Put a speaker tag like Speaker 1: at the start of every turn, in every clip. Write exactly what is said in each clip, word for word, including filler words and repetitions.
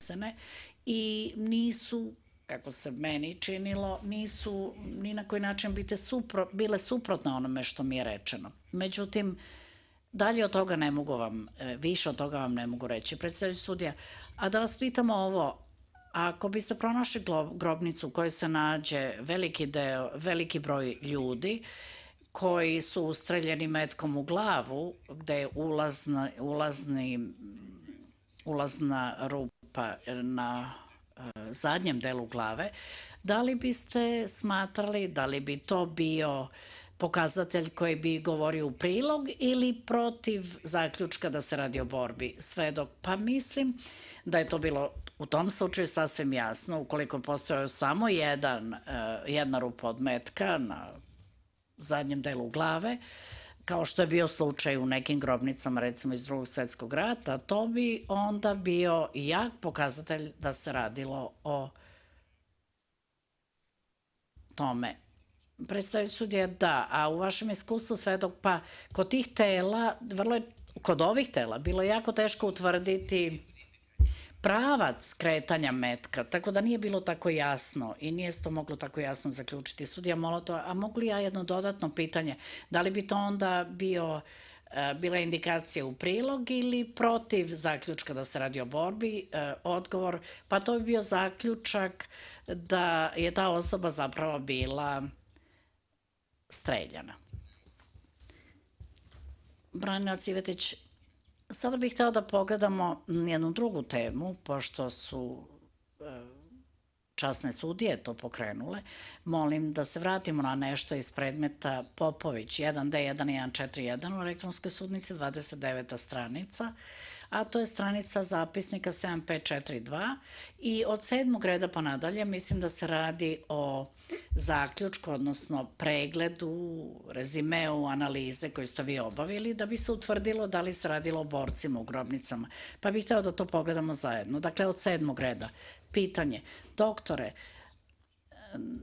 Speaker 1: donesene i nisu, kako se meni činilo, nisu ni na koji način bile suprotne onome što mi je rečeno. Međutim, dalje od toga ne mogu vam, više od toga vam ne mogu reći. Predsedavajući sudija, a da vas pitamo ovo, ako biste pronašli grobnicu u kojoj se nađe veliki deo, veliki broj ljudi koji su ustreljeni metkom u glavu, gde je ulazni, ulazna rupa na zadnjem delu glave, da li biste smatrali, da li bi to bio pokazatelj koji bi govorio u prilog ili protiv zaključka da se radi o borbi svedok? Pa mislim da je to bilo u tom slučaju sasvim jasno, ukoliko je postojao samo jedan, jedna rupa od metka na zadnjem delu glave, kao što je bio slučaj u nekim grobnicama, recimo iz drugog svetskog rata, to bi onda bio jak pokazatelj da se radilo o tome. Predstavljajući sudija, da, a u vašem iskustvu svedok, pa kod tih tela, vrlo je, kod ovih tela, bilo je jako teško utvrditi pravac kretanja metka, tako da nije bilo tako jasno i nije se to moglo tako jasno zaključiti. Sudija Molotov, a mogu li ja jedno dodatno pitanje, da li bi to onda bio, bila indikacija u prilog ili protiv zaključka da se radi o borbi? Odgovor, pa to bi bio zaključak da je ta osoba zapravo bila streljana. Branilac Ivetić, sada bih hteo da pogledamo jednu drugu temu, pošto su časne sudije to pokrenule. Molim da se vratimo na nešto iz predmeta Popović jedan D jedan jedan četiri jedan u elektronskoj sudnici, dvadeset deveta stranica, a to je stranica zapisnika sedam pet četiri dva i od sedmog reda pa nadalje mislim da se radi o zaključku, odnosno pregledu, rezimeu, analize koju ste vi obavili da bi se utvrdilo da li se radilo o borcima u grobnicama. Pa bih hteo da to pogledamo zajedno. Dakle, od sedmog reda. Pitanje. Doktore,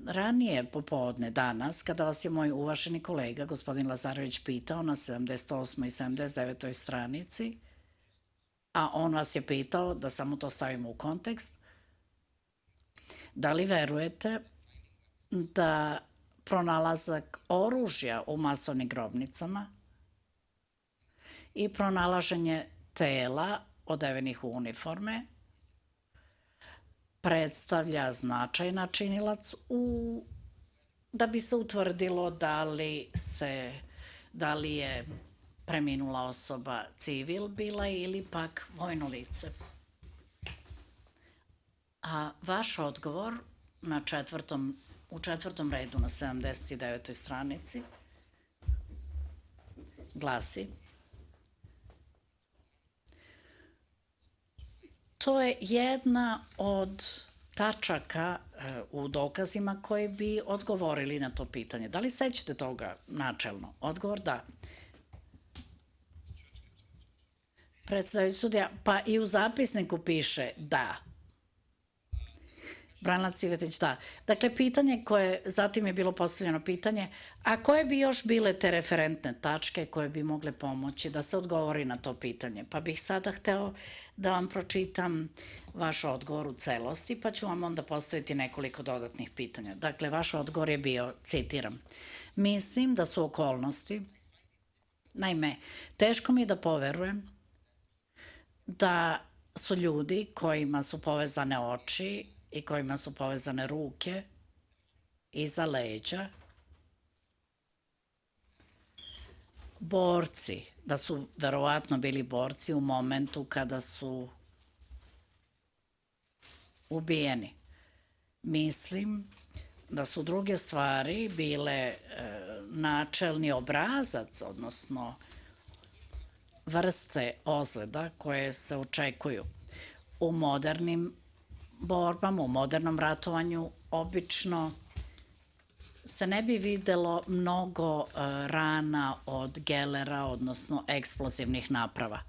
Speaker 1: ranije popodne danas, kada vas je moj uvaženi kolega, gospodin Lazarević, pitao na sedamdeset osmoj i sedamdeset devetoj stranici, a on vas je pitao, da samo to stavimo u kontekst, da li verujete da pronalazak oružja u masovnim grobnicama i pronalaženje tela odevenih u uniforme predstavlja značajna činilac u, da bi se utvrdilo da li se, da li je preminula osoba civil bila ili pak vojno lice. A vaš odgovor na četvrtom, u četvrtom redu na sedamdeset devetoj stranici glasi: to je jedna od tačaka u dokazima koji bi odgovorili na to pitanje. Da li sećate toga načelno? Odgovor da. Predstavljajući sudija, pa i u zapisniku piše da. Branilac Ivetić, da. Dakle, pitanje koje, zatim je bilo postavljeno pitanje, a koje bi još bile te referentne tačke koje bi mogle pomoći da se odgovori na to pitanje? Pa bih sada hteo da vam pročitam vaš odgovor u celosti, pa ću vam onda postaviti nekoliko dodatnih pitanja. Dakle, vaš odgovor je bio, citiram, mislim da su okolnosti, naime, teško mi je da poverujem da su ljudi kojima su povezane oči i kojima su povezane ruke iza leđa borci, da su verovatno bili borci u momentu kada su ubijeni. Mislim da su druge stvari bile načelni obrazac, odnosno vrste ozljeda koje se očekuju. U modernim borbama, u modernom ratovanju, obično se ne bi videlo mnogo rana od gelera, odnosno eksplozivnih naprava.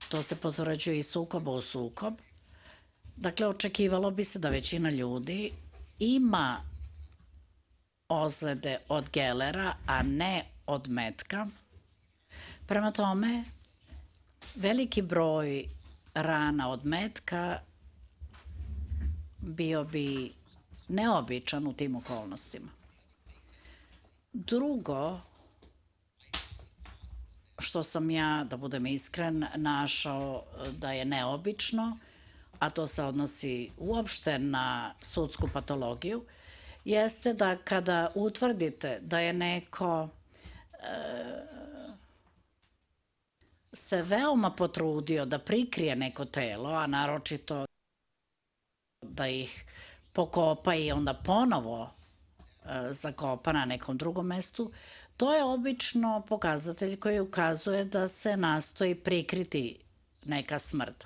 Speaker 1: To se potvrđuje iz sukoba u sukob. Dakle, očekivalo bi se da većina ljudi ima ozljede od gelera, a ne od metka. Prema tome, veliki broj rana od metka bio bi neobičan u tim okolnostima. Drugo, što sam ja, da budem iskren, našao da je neobično, a to se odnosi uopšte na sudsku patologiju, jeste da kada utvrdite da je neko se veoma potrudio da prikrije neko telo, a naročito da ih pokopa i onda ponovo zakopa na nekom drugom mestu, to je obično pokazatelj koji ukazuje da se nastoji prikriti neka smrt.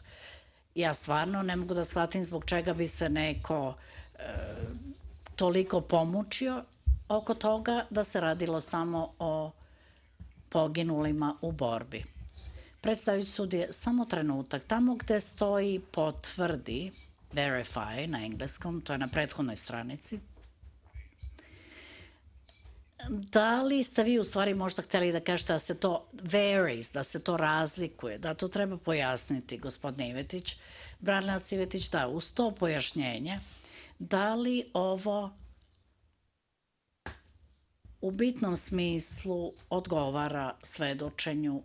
Speaker 1: Ja stvarno ne mogu da shvatim zbog čega bi se neko toliko pomučio oko toga da se radilo samo o poginulima u borbi. Predstavljajući sudije, samo trenutak, tamo gde stoji potvrdi, verify na engleskom, to je na prethodnoj stranici, da li ste vi u stvari možda hteli da kažete da se to varies, da se to razlikuje, da to treba pojasniti, gospodine Ivetić, branilac Ivetić, da, uz to pojašnjenje, da li ovo u bitnom smislu odgovara svedočenju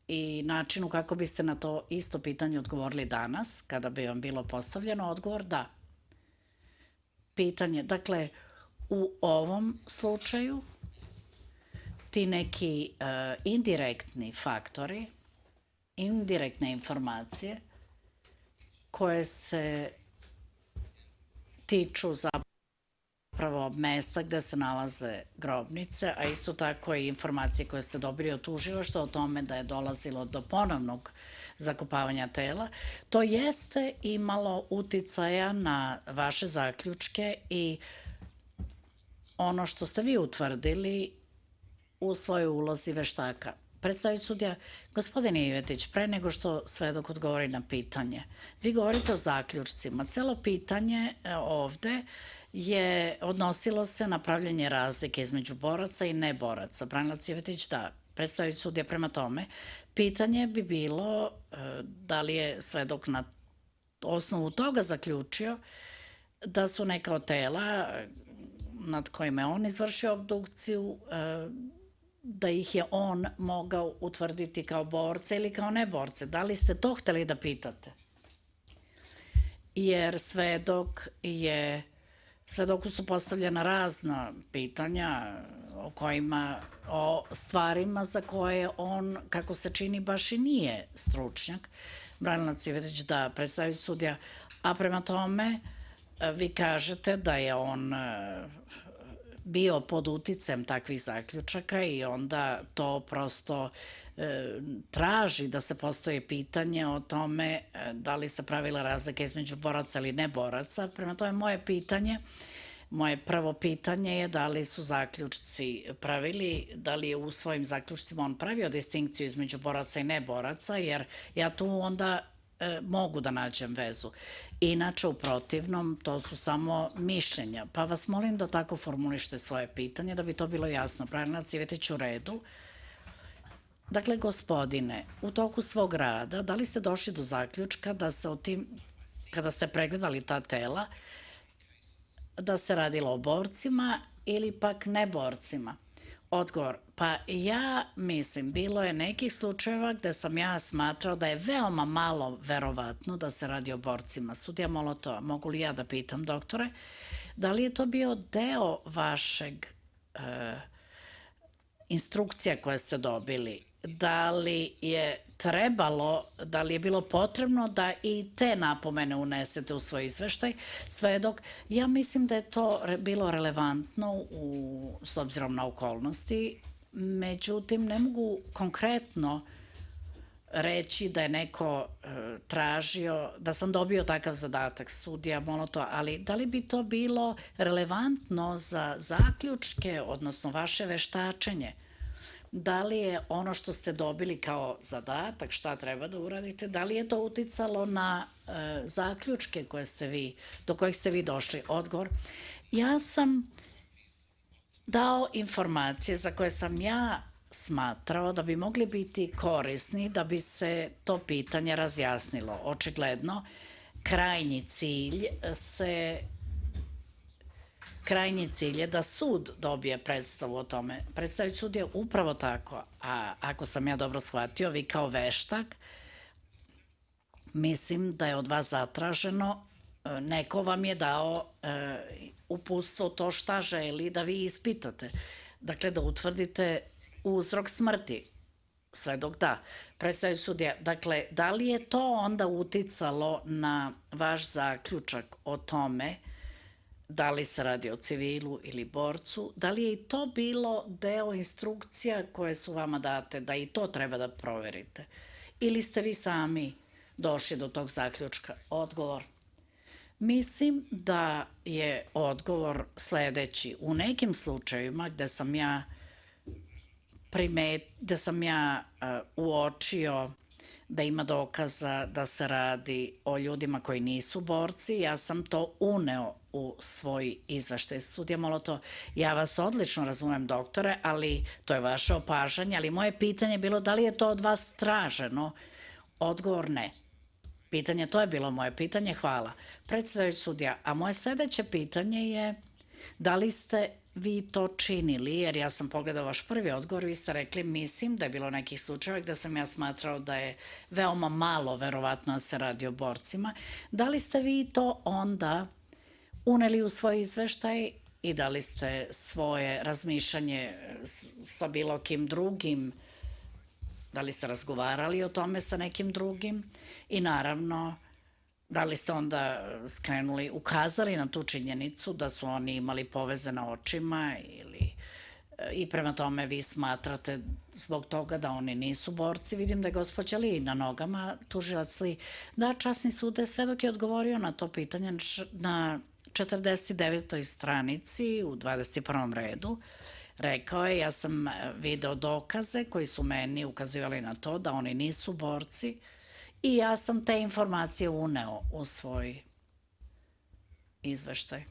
Speaker 1: i načinu kako biste na to isto pitanje odgovorili danas, kada bi vam bilo postavljeno, odgovor da. Pitanje, dakle, u ovom slučaju ti neki indirektni faktori, indirektne informacije koje se tiču zapravo mesta gde se nalaze grobnice, a isto tako i informacije koje ste dobili od tužilaštva o tome da je dolazilo do ponovnog zakopavanja tela, to jeste imalo uticaja na vaše zaključke i ono što ste vi utvrdili u svojoj ulozi veštaka. Predstavljajući sudija, gospodine Ivetić, pre nego što svedok odgovori na pitanje, vi govorite o zaključcima. Celo pitanje ovde je odnosilo se na pravljenje razlike između boraca i neboraca. Branilac Ivetić, da, predstavljajući sudija prema tome, pitanje bi bilo da li je svedok na osnovu toga zaključio da su neka od tela nad kojima je on izvršio obdukciju, da ih je on mogao utvrditi kao borce ili kao neborce. Da li ste to hteli da pitate? Jer svedok je, svedoku su postavljena razna pitanja o kojima, o stvarima za koje on, kako se čini, baš i nije stručnjak. Branilac Ivetić, da, predstavljajući sudija, a prema tome vi kažete da je on bio pod uticajem takvih zaključaka i onda to prosto traži da se postoji pitanje o tome da li se pravila razlika između boraca ili neboraca. Prema tome, moje pitanje, moje prvo pitanje je da li su zaključci pravili, da li je u svojim zaključcima on pravio distinkciju između boraca i neboraca, jer ja tu onda mogu da nađem vezu. Inače, u protivnom, to su samo mišljenja. Pa vas molim da tako formulište svoje pitanje, da bi to bilo jasno. Branilac Ivetić, u redu. Dakle, gospodine, u toku svog rada, da li ste došli do zaključka da se o tim, kada ste pregledali ta tela, da se radilo o borcima ili pak neborcima? Odgovor, pa ja mislim, bilo je nekih slučajeva gde sam ja smatrao da je veoma malo verovatno da se radi o borcima. Sudija Molotova, mogu li ja da pitam, doktore, da li je to bio deo vašeg instrukcija koje ste dobili? Da li je trebalo, da li je bilo potrebno da i te napomene unesete u svoj izveštaj, svedok? Ja mislim da je to bilo relevantno u, s obzirom na okolnosti, međutim ne mogu konkretno reći da je neko tražio, da sam dobio takav zadatak, sudija Molotov, ali da li bi to bilo relevantno za zaključke, odnosno vaše veštačenje? Da li je ono što ste dobili kao zadatak, šta treba da uradite, da li je to uticalo na zaključke koje ste vi, do kojih ste vi došli? Odgovor, ja sam dao informacije za koje sam ja smatrao da bi mogli biti korisni da bi se to pitanje razjasnilo. Očigledno, krajnji cilj se krajnji cilj je da sud dobije predstavu o tome. Predstaviti sud je upravo tako, a ako sam ja dobro shvatio, vi kao veštak, mislim da je od vas zatraženo, neko vam je dao e, uputstvo to šta želi da vi ispitate. Dakle, da utvrdite uzrok smrti, sve dok da. Predstaviti sudija, dakle, da li je to onda uticalo na vaš zaključak o tome da li se radi o civilu ili borcu, da li je i to bilo deo instrukcija koje su vama date, da i to treba da proverite? Ili ste vi sami došli do tog zaključka? Odgovor. Mislim da je odgovor sledeći. U nekim slučajevima gde sam ja primet, gde sam ja uh, uočio da ima dokaza da se radi o ljudima koji nisu borci, ja sam to uneo u svoj izveštaj. Sudija Molotov, ja vas odlično razumem, doktore, ali to je vaše opažanje, ali moje pitanje je bilo da li je to od vas traženo? Odgovor ne. Pitanje, to je bilo moje pitanje, hvala. Predstavljajući sudija, a moje sledeće pitanje je da li ste vi to činili, jer ja sam pogledao vaš prvi odgovor, vi ste rekli, mislim da je bilo nekih slučajeva gde sam ja smatrao da je veoma malo verovatno da se radi o borcima. Da li ste vi to onda uneli u svoj izveštaj i da li ste svoje razmišljanje sa bilo kim drugim, da li ste razgovarali o tome sa nekim drugim i naravno da li ste onda skrenuli, ukazali na tu činjenicu da su oni imali poveze na očima ili i prema tome vi smatrate zbog toga da oni nisu borci. Vidim da je gospođa Li na nogama, tužilac Li. Da, časni sude, sve dok je odgovorio na to pitanje na četrdeset devetoj stranici u dvadeset prvom redu, rekao je, ja sam video dokaze koji su meni ukazivali na to da oni nisu borci i ja sam te informacije uneo u svoj izveštaj.